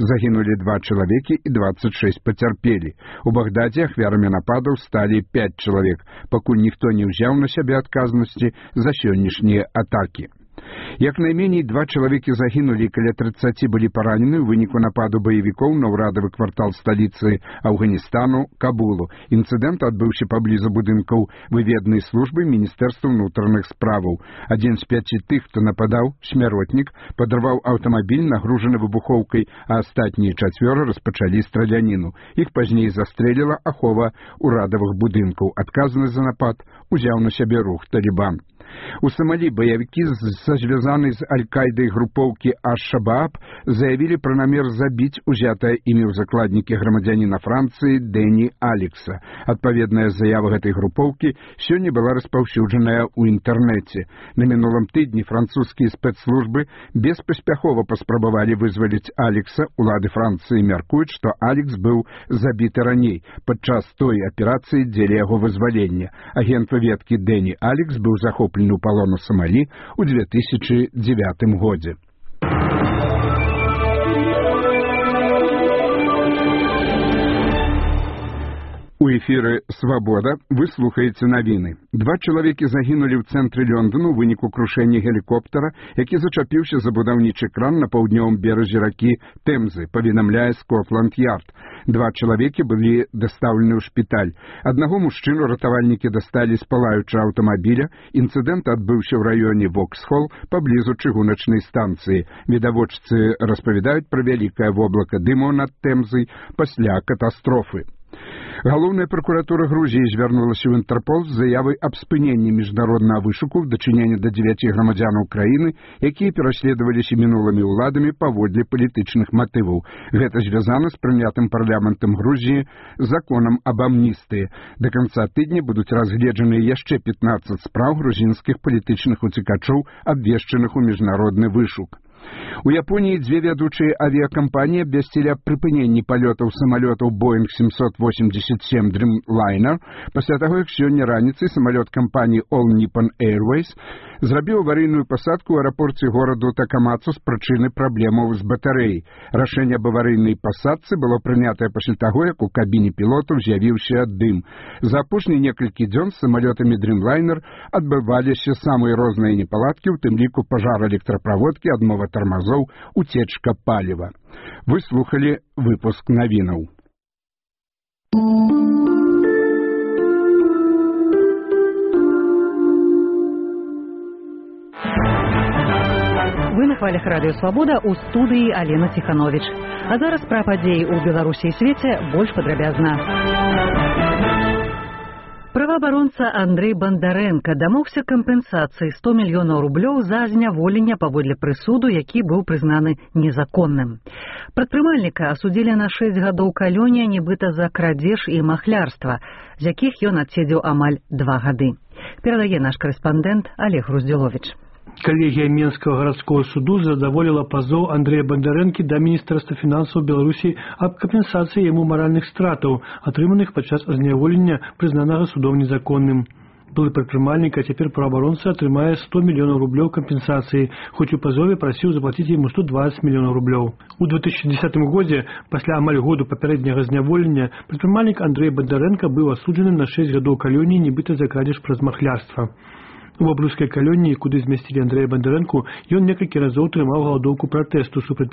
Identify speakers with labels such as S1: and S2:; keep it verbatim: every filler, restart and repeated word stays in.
S1: Загінулі два чалавекі і дваццаць шэсць пацярпелі. У Багдадзе ахвярамі нападаў сталі пяць чалавек, пакуль ніхто не ўзяў на сябе адказнасці за сённяшнія атакі. Як найменей два чалавекі загінулі, каля трыццаці былі паранены ў выніку нападу баевікоў на ўрадавы квартал сталіцы Афганістану Кабулу. Інцыдэнт адбыўся паблізу будынкаў выведнай службы Міністэрства ўнутраных справаў. Адзін з пяці тых, хто нападаў, смяротнік, падарваў аўтамабіль, нагружаны выбухоўкай, а астатнія чацвёра распачалі страляніну. Іх пазней застрэліла ахова ўрадавых будынкаў. Адказнасць за напад узяў на сябе рух Талібан. У Сомалі баявікі са звязанай з Аль-Кайдай групоўкі Аш-Шабааб заявілі пра намер забіць узятае імі ў закладнікі грамадзяніна Францыі Дэні Алекса. Адпаведная заява гэтай групоўкі сёння была распаўсюджаная ў інтэрнэце. На мінулым тыдні французскія спецслужбы беспаспяхова паспрабавалі вызваліць Алекса. Улады Францыі мяркуюць, што Алекс быў забіты раней падчас той аперацыі дзеля яго вызвалення. Агент выведкі Дэні Алекс быў захоплены у палону Сомалі ў две тысячы дзевятым годзе. У эфіры «Свабода» вы слухаеце навіны. Два чалавекі загінулі ў цэнтры Лондону ў выніку крушэння гелікоптара, які зачапіўся за будаўнічы кран на паўднёвым беразе ракі Тэмзы, паведамляе Скотланд-Ярд. Два чалавекі былі дастаўлены ў шпіталь. Аднаго мужчыну ратавальнікі дасталі з палаючага аўтамабіля. Інцыдэнт адбыўся ў раёне Воксхол паблізу чыгуначнай станцыі. Відавочцы распавядаюць пра вялікае воблака дыму над Тэмзай пасля катастрофы. Галоўная пракуратура Грузіі звярнулася ў Інтэрпол з заявай аб спыненні міжнароднага вышуку ў дачыненні да дзевяці грамадзянаў краіны, якія пераследаваліся мінулымі ўладамі паводле палітычных матываў. Гэта звязана з прынятым парламентам Грузіі законам аб амністыі. Да канца тыдня будуць разгледжаныя яшчэ пятнаццаць спраў грузінскіх палітычных уцекачоў, абвешчаных у міжнародны вышук. У Японіі дзве вядучыя авіякампаніі абвясцілі аб прыпыненні палётаў самалётаў Боинг семьсот восемьдесят семь Dreamliner пасля таго, як сёння раніцай самалёт кампаніі All Nippon Airways зрабіў аварыйную пасадку ў аэрапорце гораду Такамацу з прычыны праблемаў з батарэяй. Рашэнне аб аварыйнай пасадцы было прынятае пасля таго, як у кабіне пілотаў з'явіўся дым. За апошнія некалькі дзён з самалётамі Dreamliner адбываліся самыя розныя непаладкі, у тым ліку пажар электраправодкі, адмова тармазоў, уцечка паліва. Вы слухалі выпуск навінаў.
S2: Вы на хвалях радыё «Свабода», у студыі Алена Ціхановіч. А зараз пра падзеі ў Беларусі і свеце больш падрабязна. Праваабаронца Андрэй Бандарэнка дамогся кампенсацыі сто мільёнаў рублёў за зняволенне паводле прысуду, які быў прызнаны незаконным. Прадпрымальніка асудзілі на шэсць гадоў калонія нібыта за крадзеж і махлярства, з якіх ён адседзеў амаль два гады. Перадае наш корэспандэнт Олег Руздзіловіч.
S3: Калегія Менскага гарадскога суду задаволіла пазоў Андрэя Бандарэнкі да Міністэрства фінансаў Беларусі аб кампенсацыі яму маральных стратаў, атрыманых падчас зняволення, прызнанага судом незаконным. Былы прадпрымальнік, а цяпер праваабаронца атрымае сто мільёнаў рублёў кампенсацыі, хоць у пазове прасіў заплаціць яму сто дваццаць мільёнаў рублёў. У две тысячи десятым годзе, пасля амаль году папярэдняга зняволення, прадпрымальнік Андрэй Бандарэнка быў асуджаны на шэсць гадоў калоніі нібыта за крадзеж праз махлярства. У баблюскай калоніі, куды змясцілі Андрэя Бандарэнку, ён некалькі разоў трымаў галадоўку пратэсту супраць